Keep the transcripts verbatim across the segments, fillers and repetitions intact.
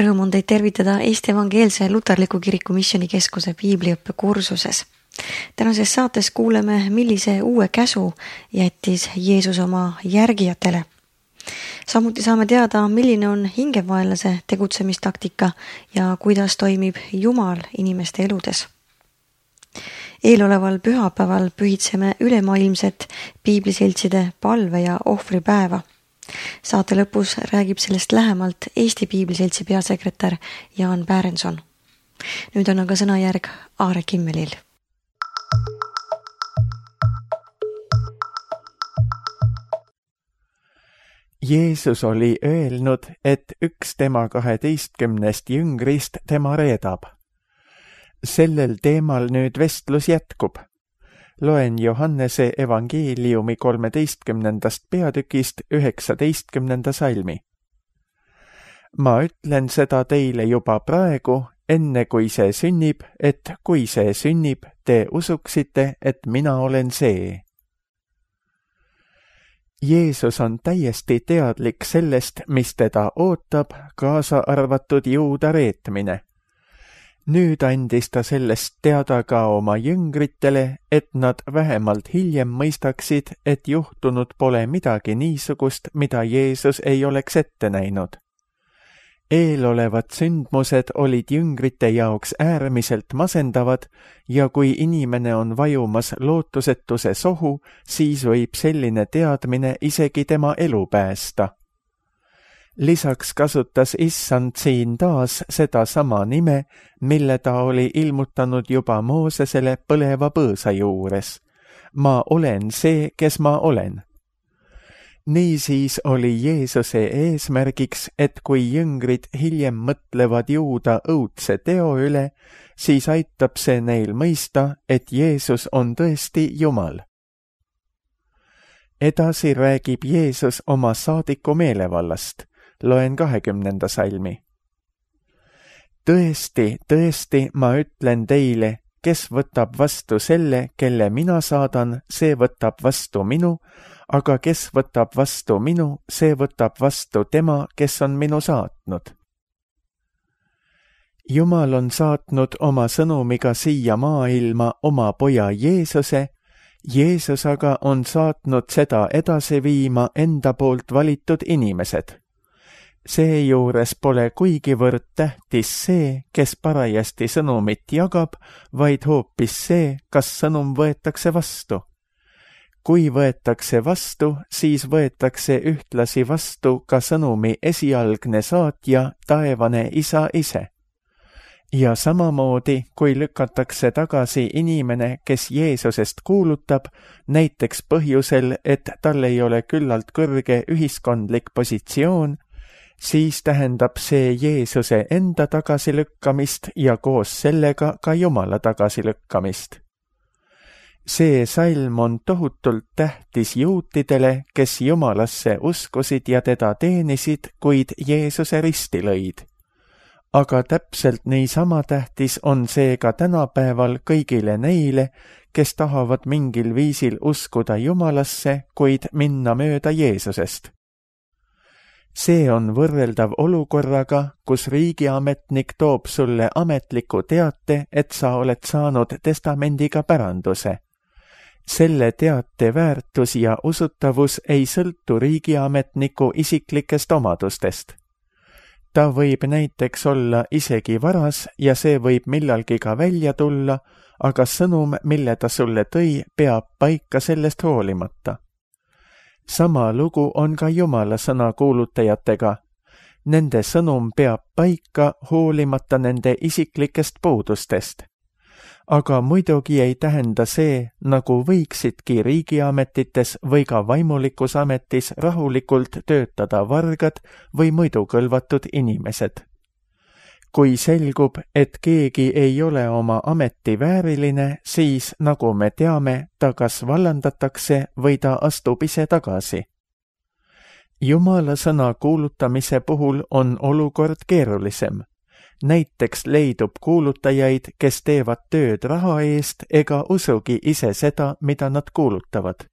Rõõm on teid tervitada Eesti Evangeelse Luterliku Kiriku Missioonikeskuse piibliõppekursuses. Tänases saates kuuleme, millise uue käsu jättis Jeesus oma järgijatele. Samuti saame teada, milline on hingevaenlase tegutsemistaktika ja kuidas toimib Jumal inimeste eludes. Eeloleval pühapäeval pühitseme ülemaailmset piibliseltside palve- ja ohvripäeva. Saate lõpus räägib sellest lähemalt Eesti Piibliseltsi peasekretär Jaan Pärenson. Nüüd on aga sõnajärg Aare Kimmelil. Jeesus oli öelnud, et üks tema kaheteistkümnest jüngrist tema reedab. Sellel teemal nüüd vestlus jätkub. Loen Johannese evangeeliumi kolmeteistkümnendast peatükist üheksateistkümnenda salmi. Ma ütlen seda teile juba praegu, enne kui see sünnib, et kui see sünnib, te usuksite, et mina olen see. Jeesus on täiesti teadlik sellest, mis teda ootab, kaasa arvatud juuda reetmine. Nüüd andis ta sellest teada ka oma jüngritele, et nad vähemalt hiljem mõistaksid, et juhtunud pole midagi niisugust, mida Jeesus ei oleks ette näinud. Eelolevad sündmused olid jüngrite jaoks äärmiselt masendavad ja kui inimene on vajumas lootusetuse sohu, siis võib selline teadmine isegi tema elu päästa. Lisaks kasutas Issand siin taas seda sama nime, mille ta oli ilmutanud juba Moosesele põleva põõsa juures. Ma olen see, kes ma olen. Niisiis oli Jeesuse eesmärgiks, et kui jüngrid hiljem mõtlevad juuda õudse teo üle, siis aitab see neil mõista, et Jeesus on tõesti Jumal. Edasi räägib Jeesus oma saadiku meelevallast. Loen kahekümnenda salmi. Tõesti, tõesti, ma ütlen teile, kes võtab vastu selle, kelle mina saadan, see võtab vastu minu, aga kes võtab vastu minu, see võtab vastu tema, kes on minu saatnud. Jumal on saatnud oma sõnumiga siia maailma oma poja Jeesuse, Jeesus aga on saatnud seda edasi viima enda poolt valitud inimesed. Seejuures pole kuigivõrd tähtis see, kes parajasti sõnumit jagab, vaid hoopis see, kas sõnum võetakse vastu. Kui võetakse vastu, siis võetakse ühtlasi vastu ka sõnumi esialgne saatja, taevane Isa ise. Ja samamoodi, kui lükatakse tagasi inimene, kes Jeesusest kuulutab, näiteks põhjusel, et tal ei ole küllalt kõrge ühiskondlik positsioon, siis tähendab see Jeesuse enda tagasilükkamist ja koos sellega ka Jumala tagasilükkamist. See salm on tohutult tähtis juutidele, kes Jumalasse uskusid ja teda teenisid, kuid Jeesuse risti lõid. Aga täpselt niisama tähtis on see ka tänapäeval kõigile neile, kes tahavad mingil viisil uskuda Jumalasse, kuid minna mööda Jeesusest. See on võrreldav olukorraga, kus riigiametnik toob sulle ametliku teate, et sa oled saanud testamendiga päranduse. Selle teate väärtus ja usutavus ei sõltu riigiametniku isiklikest omadustest. Ta võib näiteks olla isegi varas ja see võib millalgi ka välja tulla, aga sõnum, mille ta sulle tõi, peab paika sellest hoolimata. Sama lugu on ka Jumala sõna kuulutajatega. Nende sõnum peab paika hoolimata nende isiklikest puudustest. Aga muidugi ei tähenda see, nagu võiksidki riigiametites või ka vaimulikus ametis rahulikult töötada vargad või muidu kõlvatud inimesed. Kui selgub, et keegi ei ole oma ameti vääriline, siis, nagu me teame, ta kas vallandatakse või ta astub ise tagasi. Jumala sõna kuulutamise puhul on olukord keerulisem. Näiteks leidub kuulutajaid, kes teevad tööd raha eest ega usugi ise seda, mida nad kuulutavad.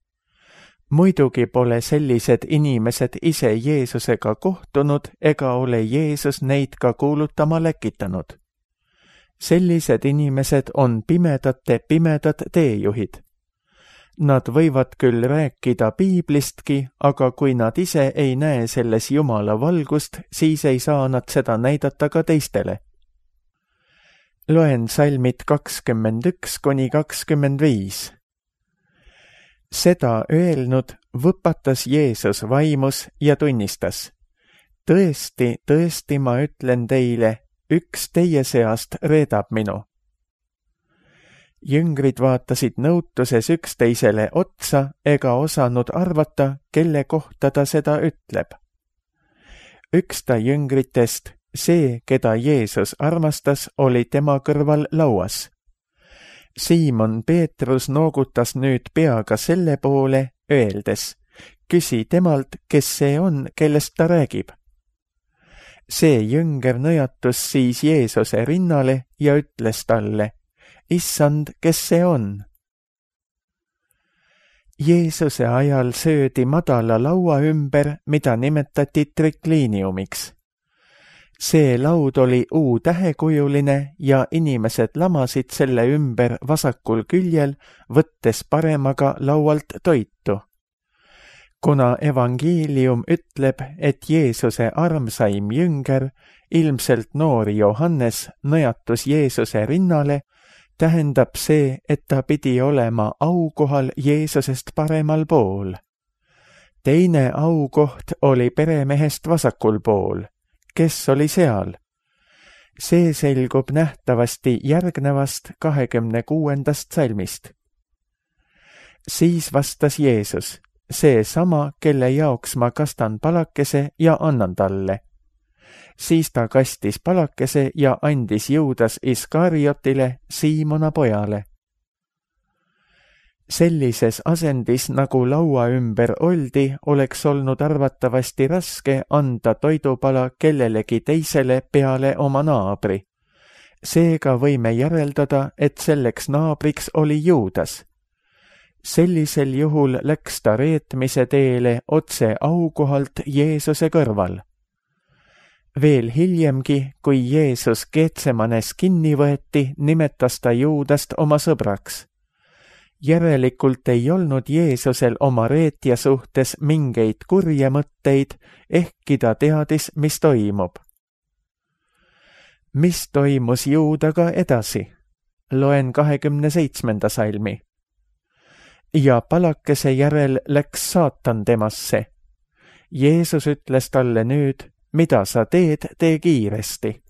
muidugi pole sellised inimesed ise Jeesusega kohtunud ega ole Jeesus neid ka kuulutama läkitanud. Sellised inimesed on pimedate pimedad teejuhid. Nad võivad küll rääkida piiblistki, aga kui nad ise ei näe selles Jumala valgust, siis ei saa nad seda näidata ka teistele. Loen salmid kakskümmend üks kuni kakskümmend viis. Seda öelnud võpatas Jeesus vaimus ja tunnistas. Tõesti, tõesti ma ütlen teile, üks teie seast reedab minu. Jüngrid vaatasid nõutuses üksteisele otsa ega osanud arvata, kelle kohta ta seda ütleb. Üks ta jüngritest, see, keda Jeesus armastas, oli tema kõrval lauas. Siimon Peetrus noogutas nüüd peaga selle poole, öeldes, küsi temalt, kes see on, kellest ta räägib. See jünger nõjatus siis Jeesuse rinnale ja ütles talle, Issand, kes see on? Jeesuse ajal söödi madala laua ümber, mida nimetati trikliiniumiks. See laud oli U-tähekujuline ja inimesed lamasid selle ümber vasakul küljel, võttes paremaga laualt toitu. Kuna evangeelium ütleb, et Jeesuse armsaim jünger, ilmselt noor Johannes, nõjatus Jeesuse rinnale, tähendab see, et ta pidi olema aukohal Jeesusest paremal pool. Teine aukoht oli peremehest vasakul pool. Kes oli seal? See selgub nähtavasti järgnevast kahekümne kuuendast salmist. Siis vastas Jeesus, see sama, kelle jaoks ma kastan palakese ja annan talle. Siis ta kastis palakese ja andis Juudas Iskariotile, Siimona pojale. Sellises asendis, nagu laua ümber oldi, oleks olnud arvatavasti raske anda toidupala kellelegi teisele peale oma naabri. Seega võime järeldada, et selleks naabriks oli Juudas. Sellisel juhul läks ta reetmise teele otse aukohalt Jeesuse kõrval. Veel hiljemgi, kui Jeesus Geetsemanes kinni võeti, nimetas ta Juudast oma sõbraks. Järelikult ei olnud Jeesusel oma reetja suhtes mingeid kurje mõtteid, ehkki ta teadis, mis toimub. Mis toimus Juudaga edasi? Loen kahekümne seitsmenda salmi. Ja palakese järel läks saatan temasse. Jeesus ütles talle nüüd, mida sa teed, tee kiiresti.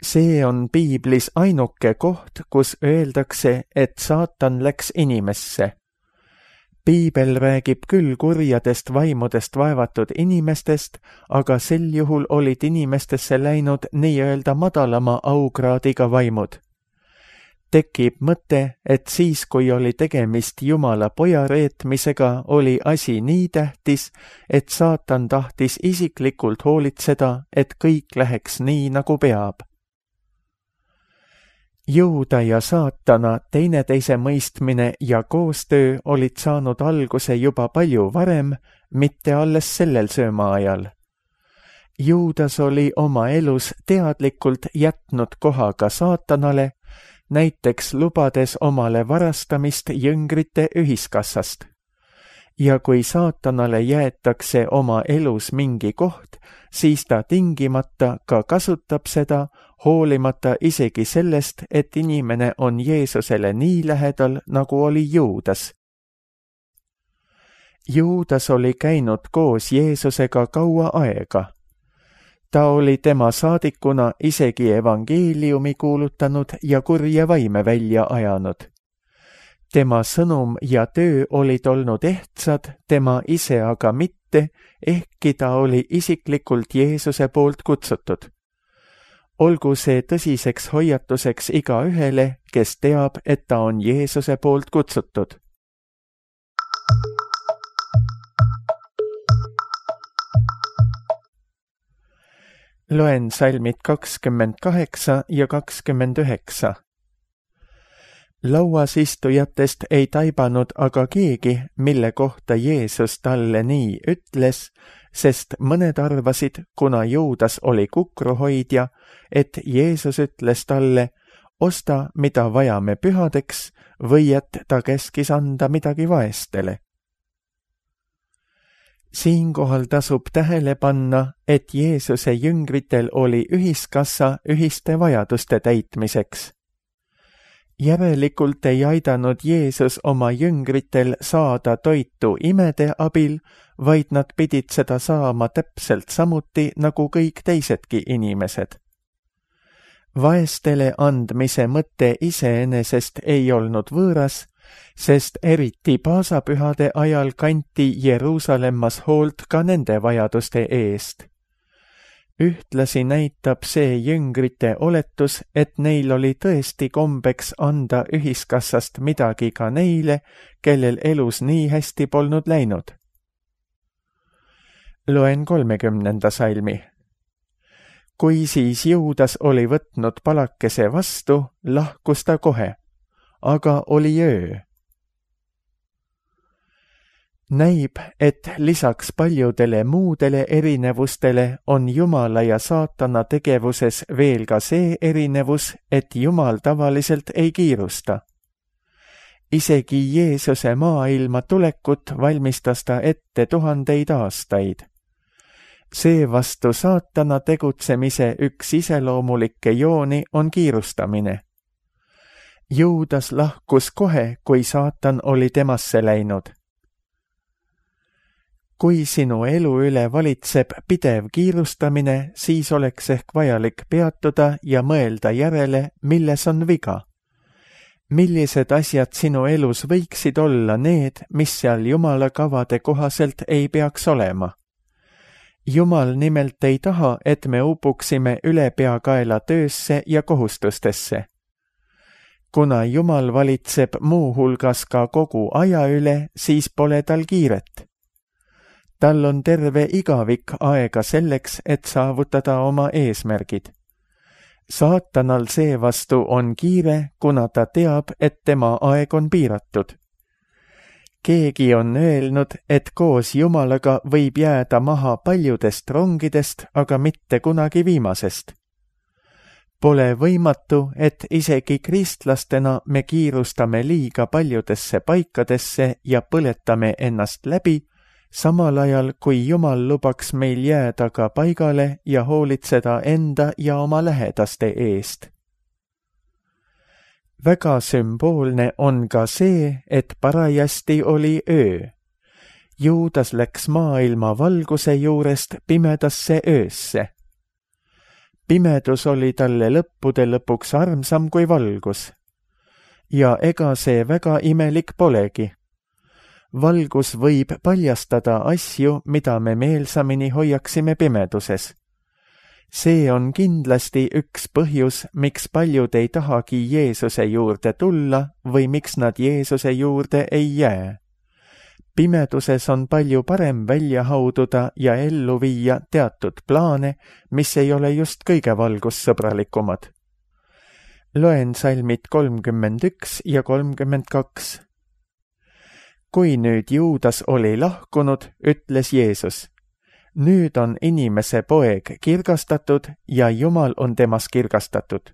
See on piiblis ainuke koht, kus öeldakse, et saatan läks inimesse. Piibel räägib küll kurjadest vaimudest vaevatud inimestest, aga sel juhul olid inimestesse läinud nii-öelda madalama aukraadiga vaimud. Tekib mõte, et siis, kui oli tegemist Jumala poja reetmisega, oli asi nii tähtis, et saatan tahtis isiklikult hoolitseda, et kõik läheks nii, nagu peab. Juuda ja saatana teineteise mõistmine ja koostöö olid saanud alguse juba palju varem, mitte alles sellel söömaajal. Juudas oli oma elus teadlikult jätnud koha ka saatanale, näiteks lubades omale varastamist jüngrite ühiskassast. Ja kui saatanale jäetakse oma elus mingi koht, siis ta tingimata ka kasutab seda, hoolimata isegi sellest, et inimene on Jeesusele nii lähedal, nagu oli Juudas. Juudas oli käinud koos Jeesusega kaua aega. Ta oli tema saadikuna isegi evangeeliumi kuulutanud ja kurje vaime välja ajanud. Tema sõnum ja töö olid olnud ehtsad, tema ise aga mitte, ehkki ta oli isiklikult Jeesuse poolt kutsutud. Olgu see tõsiseks hoiatuseks igaühele, kes teab, et ta on Jeesuse poolt kutsutud. Loen salmid kakskümmend kaheksa ja kakskümmend üheksa. lauas istujatest ei taibanud aga keegi, mille kohta Jeesus talle nii ütles, sest mõned arvasid, kuna Juudas oli kukruhoidja, et Jeesus ütles talle, osta, mida vajame pühadeks, või et ta käskis anda midagi vaestele. Siinkohal tasub tähele panna, et Jeesuse jüngritel oli ühiskassa ühiste vajaduste täitmiseks. Järelikult ei aidanud Jeesus oma jüngritel saada toitu imede abil, vaid nad pidid seda saama täpselt samuti nagu kõik teisedki inimesed. Vaestele andmise mõte iseenesest ei olnud võõras, sest eriti paasapühade ajal kanti Jeruusalemmas hoolt ka nende vajaduste eest. Ühtlasi näitab see jüngrite oletus, et neil oli tõesti kombeks anda ühiskassast midagi ka neile, kellel elus nii hästi polnud läinud. Loen kolmekümnenda salmi. Kui siis Juudas oli võtnud palakese vastu, lahkus ta kohe, aga oli öö. Näib, et lisaks paljudele muudele erinevustele on Jumala ja saatana tegevuses veel ka see erinevus, et Jumal tavaliselt ei kiirusta. Isegi Jeesuse maailma tulekut valmistas ta ette tuhandeid aastaid. Seevastu saatana tegutsemise üks iseloomulikke jooni on kiirustamine. Juudas lahkus kohe, kui saatan oli temasse läinud. Kui sinu elu üle valitseb pidev kiirustamine, siis oleks ehk vajalik peatuda ja mõelda järele, milles on viga. Millised asjad sinu elus võiksid olla need, mis seal Jumala kavade kohaselt ei peaks olema? Jumal nimelt ei taha, et me upuksime ülepeakaela töösse ja kohustustesse. Kuna Jumal valitseb muu hulgas ka kogu aja üle, siis pole tal kiiret. Tal on terve igavik aega selleks, et saavutada oma eesmärgid. Saatanal seevastu on kiire, kuna ta teab, et tema aeg on piiratud. Keegi on öelnud, et koos Jumalaga võib jääda maha paljudest rongidest, aga mitte kunagi viimasest. Pole võimatu, et isegi kristlastena me kiirustame liiga paljudesse paikadesse ja põletame ennast läbi, samal ajal kui Jumal lubaks meil jääda ka paigale ja hoolitseda enda ja oma lähedaste eest. Väga sümboolne on ka see, et parajasti oli öö. Juudas läks maailma valguse juurest pimedasse öösse. Pimedus oli talle lõppude lõpuks armsam kui valgus. Ja ega see väga imelik polegi. Valgus võib paljastada asju, mida me meelsamini hoiaksime pimeduses. See on kindlasti üks põhjus, miks paljud ei tahagi Jeesuse juurde tulla või miks nad Jeesuse juurde ei jää. Pimeduses on palju parem välja haududa ja ellu viia teatud plaane, mis ei ole just kõige valgussõbralikumad. Loen salmid kolmkümmend üks ja kolmkümmend kaks. Kui nüüd Juudas oli lahkunud, ütles Jeesus, nüüd on inimese poeg kirgastatud ja Jumal on temas kirgastatud.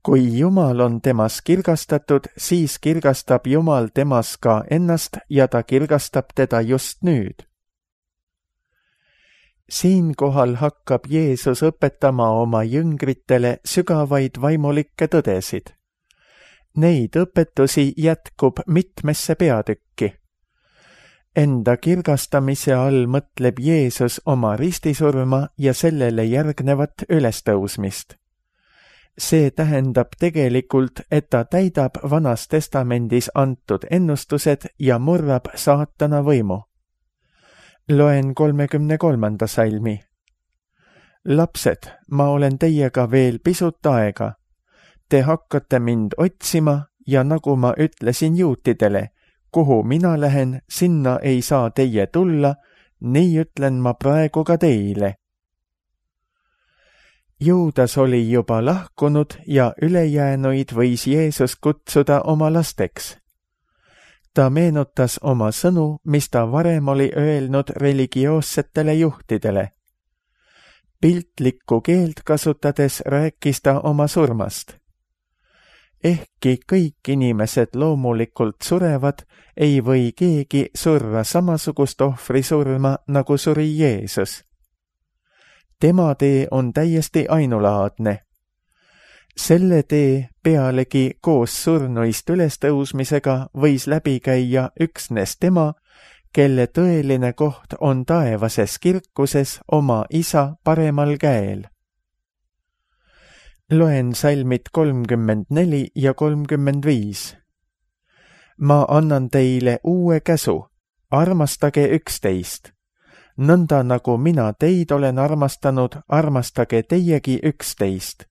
Kui Jumal on temas kirgastatud, siis kirgastab Jumal temas ka ennast ja ta kirgastab teda just nüüd. Siinkohal hakkab Jeesus õpetama oma jüngritele sügavaid vaimulikke tõdesid. Neid õpetusi jätkub mitmesse peatükki. Enda kirgastamise all mõtleb Jeesus oma ristisurma ja sellele järgnevat ülestõusmist. See tähendab tegelikult, et ta täidab Vanas Testamendis antud ennustused ja murrab saatana võimu. Loen kolmekümne kolmanda salmi. Lapsed, ma olen teiega veel pisut aega. Te hakkate mind otsima ja nagu ma ütlesin juutidele, kuhu mina lähen, sinna ei saa teie tulla, nii ütlen ma praegu ka teile. Juudas oli juba lahkunud ja ülejäänuid võis Jeesus kutsuda oma lasteks. Ta meenutas oma sõnu, mis ta varem oli öelnud religioossetele juhtidele. Piltlikku keelt kasutades rääkis ta oma surmast. Ehkki kõik inimesed loomulikult surevad, ei või keegi surra samasugust ohvrisurma, nagu suri Jeesus. Tema tee on täiesti ainulaadne. Selle tee pealegi koos surnuist ülestõusmisega võis läbi käia üksnes tema, kelle tõeline koht on taevases kirkuses oma isa paremal käel. Loen salmid kolmkümmend neli ja kolmkümmend viis. Ma annan teile uue käsu, armastage üksteist. Nõnda nagu mina teid olen armastanud, armastage teiegi üksteist.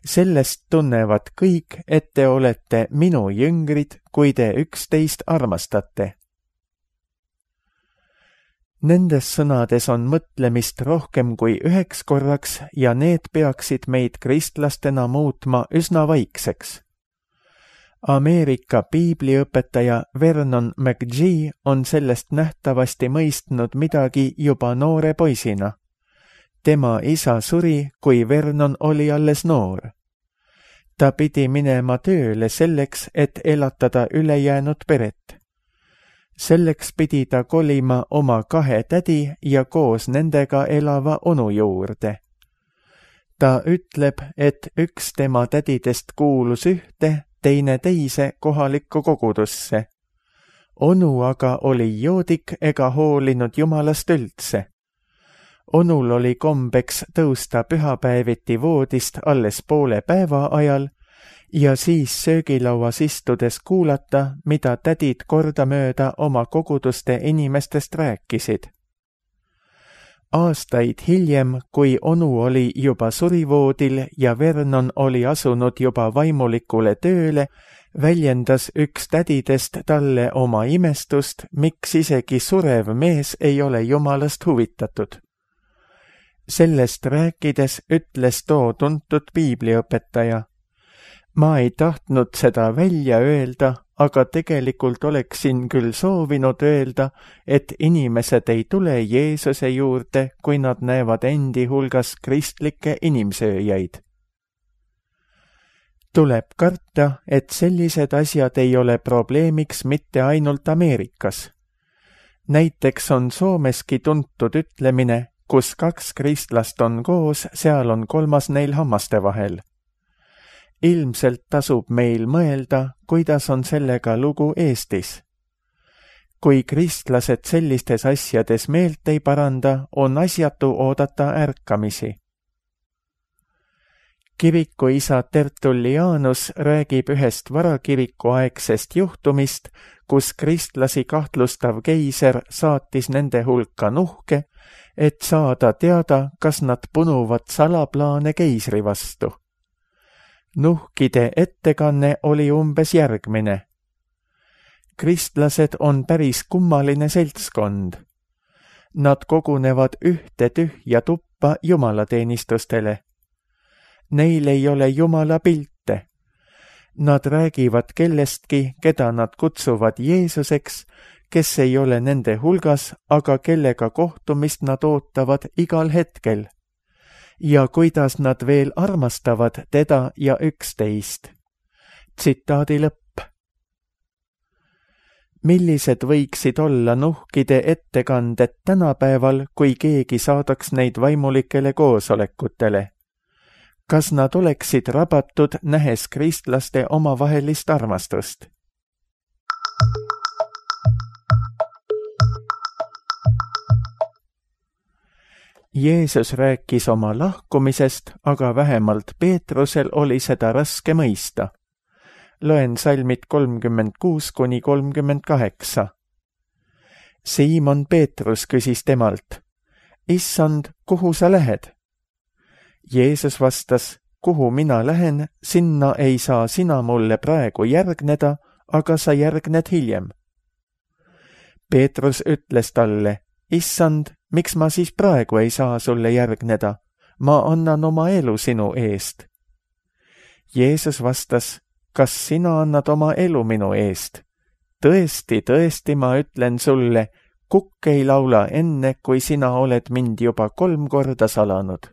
Sellest tunnevad kõik, et te olete minu jüngrid, kui te üksteist armastate. Nendes sõnades on mõtlemist rohkem kui üheks korraks ja need peaksid meid kristlastena muutma üsna vaikseks. Ameerika piibliõpetaja Vernon McGee on sellest nähtavasti mõistnud midagi juba noore poisina. Tema isa suri, kui Vernon oli alles noor. Ta pidi minema tööle selleks, et elatada ülejäänud peret. Selleks pidi ta kolima oma kahe tädi ja koos nendega elava onu juurde. Ta ütleb, et üks tema tädidest kuulus ühte, teine teise kohalikku kogudusse. Onu aga oli joodik ega hoolinud Jumalast üldse. Onul oli kombeks tõusta pühapäeviti voodist alles poole päeva ajal ja siis söögilauas istudes kuulata, mida tädid kordamööda oma koguduste inimestest rääkisid. Aastaid hiljem, kui onu oli juba surivoodil ja Vernon oli asunud juba vaimulikule tööle, väljendas üks tädidest talle oma imestust, miks isegi surev mees ei ole Jumalast huvitatud. Sellest rääkides ütles too tuntud piibliõpetaja. Ma ei tahtnud seda välja öelda, aga tegelikult oleksin küll soovinud öelda, et inimesed ei tule Jeesuse juurde, kui nad näevad endi hulgas kristlikke inimsööjaid. Tuleb karta, et sellised asjad ei ole probleemiks mitte ainult Ameerikas. Näiteks on Soomeski tuntud ütlemine, kus kaks kristlast on koos, seal on kolmas neil hammaste vahel. Ilmselt tasub meil mõelda, kuidas on sellega lugu Eestis. Kui kristlased sellistes asjades meelt ei paranda, on asjatu oodata ärkamisi. Kirikuisa Tertullianus räägib ühest varakirikuaegsest juhtumist, kus kristlasi kahtlustav keiser saatis nende hulka nuhke, et saada teada, kas nad punuvad salaplaane keisri vastu. Nuhkide ettekanne oli umbes järgmine. Kristlased on päris kummaline seltskond. Nad kogunevad ühte tühja tuppa jumalateenistustele. Neil ei ole Jumala pilte. Nad räägivad kellestki, keda nad kutsuvad Jeesuseks, kes ei ole nende hulgas, aga kellega kohtumist nad ootavad igal hetkel. Ja kuidas nad veel armastavad teda ja üksteist. Tsitaadi lõpp. Millised võiksid olla nuhkide ettekanded tänapäeval, kui keegi saadaks neid vaimulikele koosolekutele? Kas nad oleksid rabatud, nähes kristlaste omavahelist armastust? Jeesus rääkis oma lahkumisest, aga vähemalt Peetrusel oli seda raske mõista. Loen salmid kolmkümmend kuus kuni kolmkümmend kaheksa. Siimon Peetrus küsis temalt, Issand, kuhu sa lähed? Jeesus vastas, kuhu mina lähen, sinna ei saa sina mulle praegu järgneda, aga sa järgned hiljem. Peetrus ütles talle, Issand, miks ma siis praegu ei saa sulle järgneda? ma annan oma elu sinu eest. Jeesus vastas, kas sina annad oma elu minu eest? Tõesti, tõesti, ma ütlen sulle, kukk ei laula enne, kui sina oled mind juba kolm korda salanud.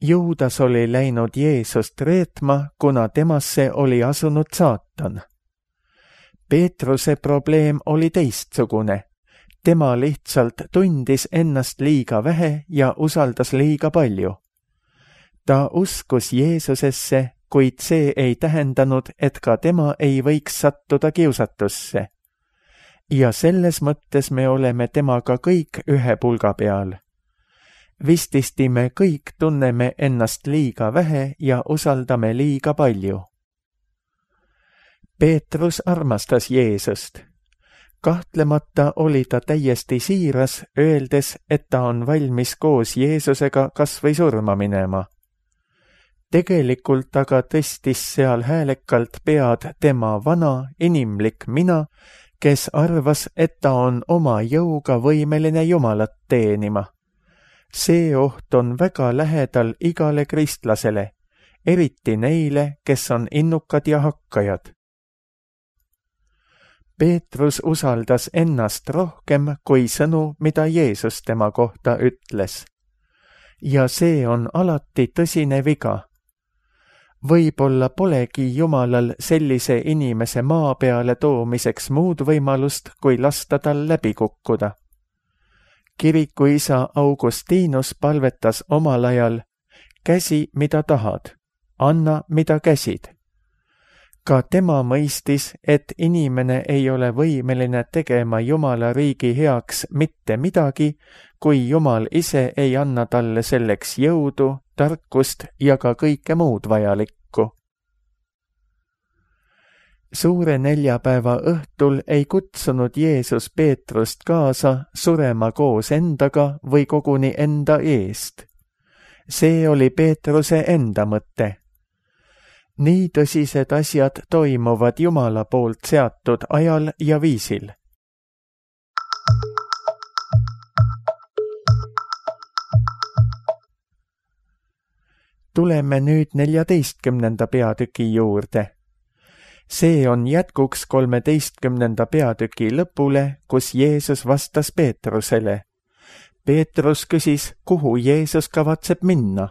Juudas oli läinud Jeesust reetma, kuna temasse oli asunud saatan. Peetruse probleem oli teistsugune. Tema lihtsalt tundis ennast liiga vähe ja usaldas liiga palju. Ta uskus Jeesusesse, kuid see ei tähendanud, et ka tema ei võiks sattuda kiusatusse. Ja selles mõttes me oleme temaga kõik ühe pulga peal. Vististi me kõik tunneme ennast liiga vähe ja usaldame liiga palju. Peetrus armastas Jeesust. Kahtlemata oli ta täiesti siiras, öeldes, et ta on valmis koos Jeesusega kas või surma minema. Tegelikult aga tõstis seal häälekalt pead tema vana, inimlik mina, kes arvas, et ta on oma jõuga võimeline Jumalat teenima. See oht on väga lähedal igale kristlasele, eriti neile, kes on innukad ja hakkajad. Peetrus usaldas ennast rohkem kui sõnu, mida Jeesus tema kohta ütles. Ja see on alati tõsine viga. Võib-olla polegi Jumalal sellise inimese maa peale toomiseks muud võimalust, kui lasta tal läbi kukkuda. Kirikuisa Augustinus palvetas omal ajal, käsi, mida tahad, anna, mida käsid. Ka tema mõistis, et inimene ei ole võimeline tegema Jumala riigi heaks mitte midagi, kui Jumal ise ei anna talle selleks jõudu, tarkust ja ka kõike muud vajalikku. Suure neljapäeva õhtul ei kutsunud Jeesus Peetrust kaasa surema koos endaga või koguni enda eest. See oli Peetruse enda mõte. Nii tõsised asjad toimuvad Jumala poolt seatud ajal ja viisil. Tuleme nüüd neljateistkümnenda peatüki juurde. See on jätkuks kolmeteistkümnenda peatüki lõpule, kus Jeesus vastas Peetrusele. Peetrus küsis, kuhu Jeesus kavatseb minna.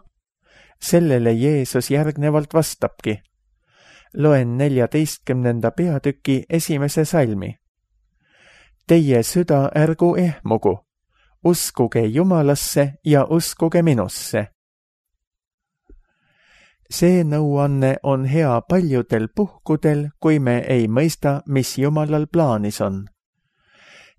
Sellele Jeesus järgnevalt vastabki. Loen neljateistkümnenda peatüki esimese salmi. Teie süda ärgu ehmugu, uskuge Jumalasse ja uskuge minusse. See nõuanne on hea paljudel puhkudel, kui me ei mõista, mis Jumalal plaanis on.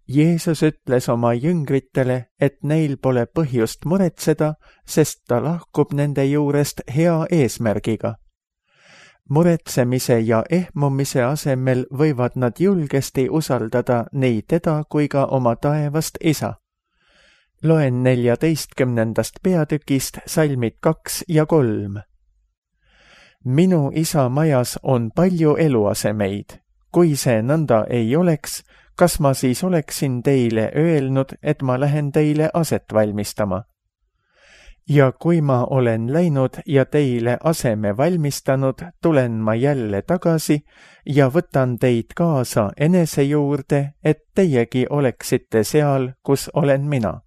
Jeesus ütles oma jüngritele, et neil pole põhjust muretseda, sest ta lahkub nende juurest hea eesmärgiga. Muretsemise ja ehmumise asemel võivad nad julgesti usaldada nii teda kui ka oma taevast isa. Loen neljateistkümnendast peatükist salmid kaks ja kolm. Minu isa majas on palju eluasemeid. Kui see nõnda ei oleks, kas ma siis oleksin teile öelnud, et ma lähen teile aset valmistama? Ja kui ma olen läinud ja teile aseme valmistanud, tulen ma jälle tagasi ja võtan teid kaasa enese juurde, et teiegi oleksite seal, kus olen mina.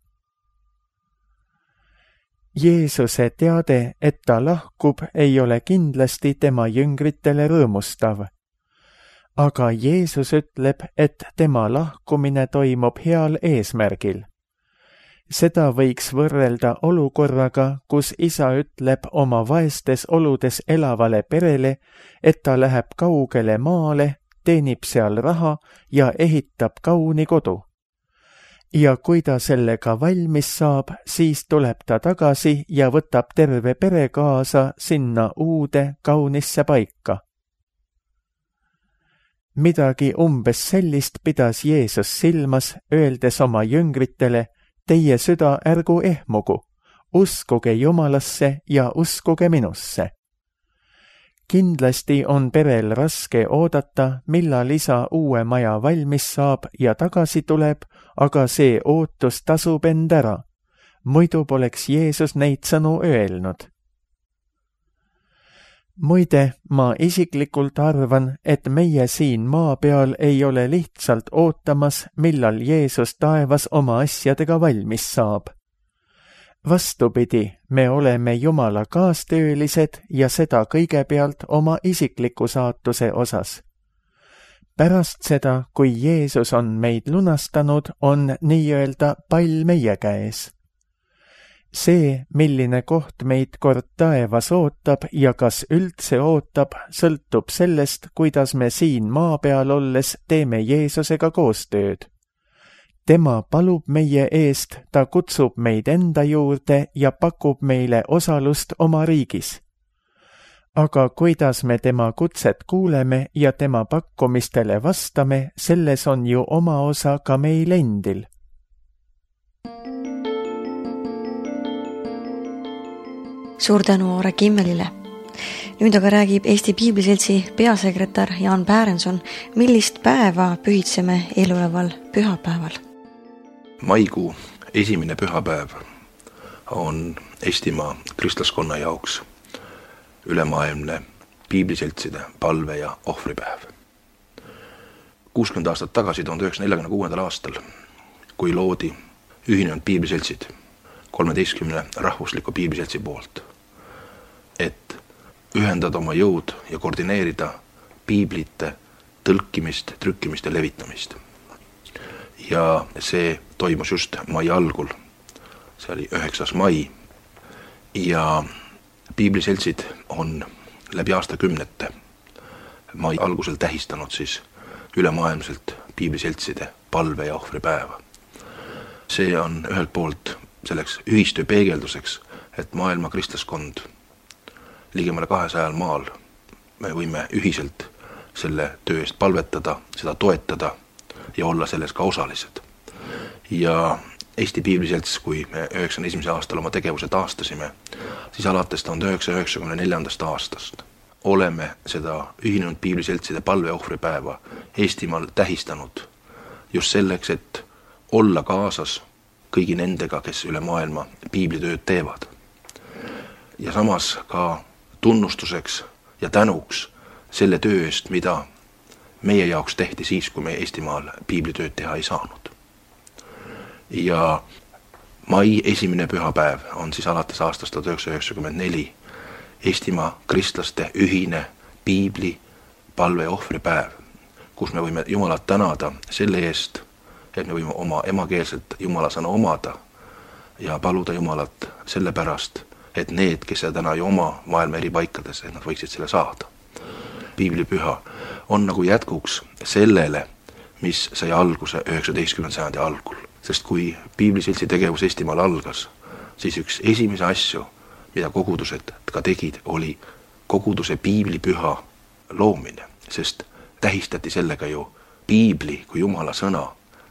Jeesuse teade, et ta lahkub, ei ole kindlasti tema jüngritele rõõmustav. Aga Jeesus ütleb, et tema lahkumine toimub heal eesmärgil. Seda võiks võrrelda olukorraga, kus isa ütleb oma vaestes oludes elavale perele, et ta läheb kaugele maale, teenib seal raha ja ehitab kauni kodu. Ja kui ta sellega valmis saab, siis tuleb ta tagasi ja võtab terve pere kaasa sinna uude kaunisse paika. Midagi umbes sellist pidas Jeesus silmas, öeldes oma jüngritele, teie süda ärgu ehmugu, uskuge Jumalasse ja uskuge minusse. Kindlasti on perel raske oodata, millal isa uue maja valmis saab ja tagasi tuleb, aga see ootus tasub end ära. muidu poleks Jeesus neid sõnu öelnud. Muide, ma isiklikult arvan, et meie siin maa peal ei ole lihtsalt ootamas, millal Jeesus taevas oma asjadega valmis saab. Vastupidi, me oleme Jumala kaastöölised ja seda kõigepealt oma isikliku saatuse osas. Pärast seda, kui Jeesus on meid lunastanud, on nii-öelda pall meie käes. See, milline koht meid kord taevas ootab ja kas üldse ootab, sõltub sellest, kuidas me siin maa peal olles teeme Jeesusega koostööd. Tema palub meie eest, ta kutsub meid enda juurde ja pakub meile osalust oma riigis. Aga kuidas me tema kutset kuuleme ja tema pakkumistele vastame, selles on ju oma osa ka meil endil. Suur tänu Aare Kimmelile. Nüüd aga räägib Eesti Piibliseltsi peasekretär Jaan Pärenson, millist päeva pühitseme eeloleval pühapäeval. Maikuu esimene pühapäev on Eestimaa kristlaskonna jaoks ülemaailmne piibliseltside palve- ja ohvripäev. kuuskümmend aastat tagasi, tuhande üheksasaja neljakümne kuuendal aastal, kui loodi ühinenud piibliseltsid kolmeteistkümne rahvusliku piibliseltsi poolt, et ühendada oma jõud ja koordineerida piiblite tõlkimist, trükkimist ja levitamist. Ja see toimus just mai algul, see oli üheksas mai, ja piibliseltsid on läbi aastakümnete mai algusel tähistanud siis ülemaailmselt piibliseltside palve- ja ohvripäeva. See on ühelt poolt selleks ühistöö peegelduseks, et maailma kristlaskond ligemale kahesajal maal me võime ühiselt selle töö eest palvetada, seda toetada ja olla selles ka osalised. Ja Eesti Piibliselts, kui me üheksakümne esimesel aastal oma tegevuse taastasime, siis alates tuhande üheksasaja üheksakümne neljandast aastast oleme seda ühinenud piibliseltside palve- ohvripäeva Eestimaal tähistanud just selleks, et olla kaasas kõigi nendega, kes üle maailma piiblitööd teevad. Ja samas ka tunnustuseks ja tänuks selle töö eest, mida meie jaoks tehti siis, kui me Eestimaal piiblitööd teha ei saanud. Ja mai esimene pühapäev on siis alates aastast tuhat üheksasada üheksakümmend neli Eestimaa kristlaste ühine piibli palve- ja ohvripäev, kus me võime Jumalat tänada selle eest, et me võime oma emakeelselt Jumala sõna omada ja paluda Jumalat selle pärast, et need, kes seda täna ju oma maailma eri paikades, et nad võiksid selle saada. Piiblipüha on nagu jätkuks sellele, mis sai alguse üheksateistkümnenda sajandi algul. Sest kui piibliseltsi tegevus Eestimaal algas, siis üks esimese asju, mida kogudused ka tegid, oli koguduse piiblipüha loomine, sest tähistati sellega ju piibli kui Jumala sõna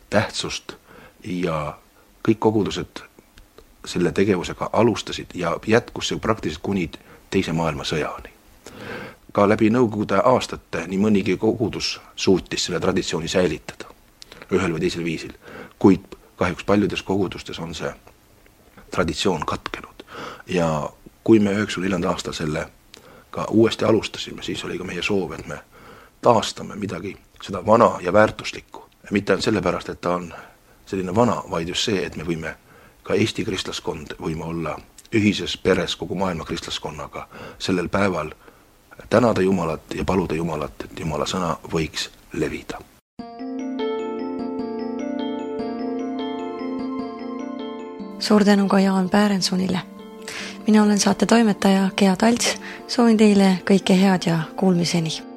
tähtsust ja kõik kogudused selle tegevusega alustasid ja jätkus see praktiliselt kuni teise maailmasõjani. Ka läbi nõukogude aastate nii mõnigi kogudus suutis selle traditsiooni säilitada ühel või teisel viisil, kuid kahjuks paljudes kogudustes on see traditsioon katkenud. Ja kui me üheksakümne neljandal aastal selle ka uuesti alustasime, siis oli ka meie soov, et me taastame midagi seda vana ja väärtuslikku. Mitte ainult sellepärast, et ta on selline vana, vaid just see, et me võime ka Eesti kristlaskond võime olla ühises peres kogu maailma kristlaskonnaga sellel päeval tänada Jumalat ja paluda Jumalat, et Jumala sõna võiks levida. Suur tänu ka Jaan Pärensonile. Mina olen saate toimetaja Gea Talts, soovin teile kõike head ja kuulmiseni.